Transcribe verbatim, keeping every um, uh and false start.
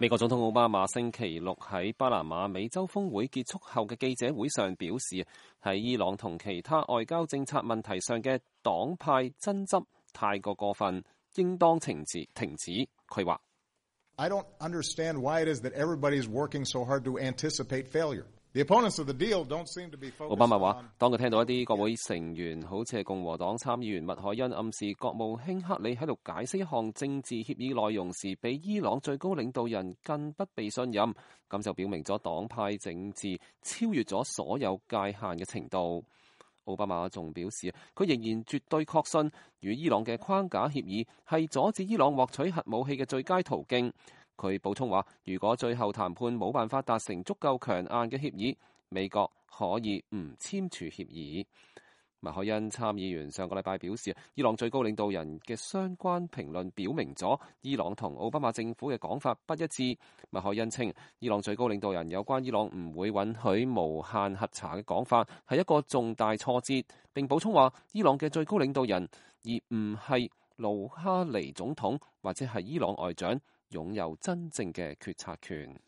美國總統奧巴馬星期六喺巴拿馬美洲峰會結束後嘅記者會上表示，喺伊朗同其他外交政策問題上嘅黨派爭執太過過分，應當停止。停止。佢話I don't understand why it is that everybody is working so hard to anticipate failure. The opponents of the deal don't seem to be focused on. 奧巴馬話，當佢聽到一啲國會成員，好似係共和黨參議員麥凱恩暗示國務卿克里喺度解釋一項政治協議內容時，比伊朗最高領導人更不被信任，咁就表明咗黨派政治超越咗所有界限嘅程度。奧巴馬仲表示，佢仍然絕對確信與伊朗嘅框架協議係阻止伊朗獲取核武器嘅最佳途徑。佢補充話，如果最後談判冇辦法達成足夠強硬嘅協議，美國可以唔簽署協議。麥凱恩參議員上個禮拜表示，伊朗最高領導人嘅相關評論表明咗伊朗同奧巴馬政府嘅講法不一致。麥凱恩稱，伊朗最高領導人有關伊朗唔會允許無限核查嘅講法係一個重大挫折，並補充話，伊朗嘅最高領導人而唔係魯哈尼總統或者係伊朗外長擁有真正嘅決策權。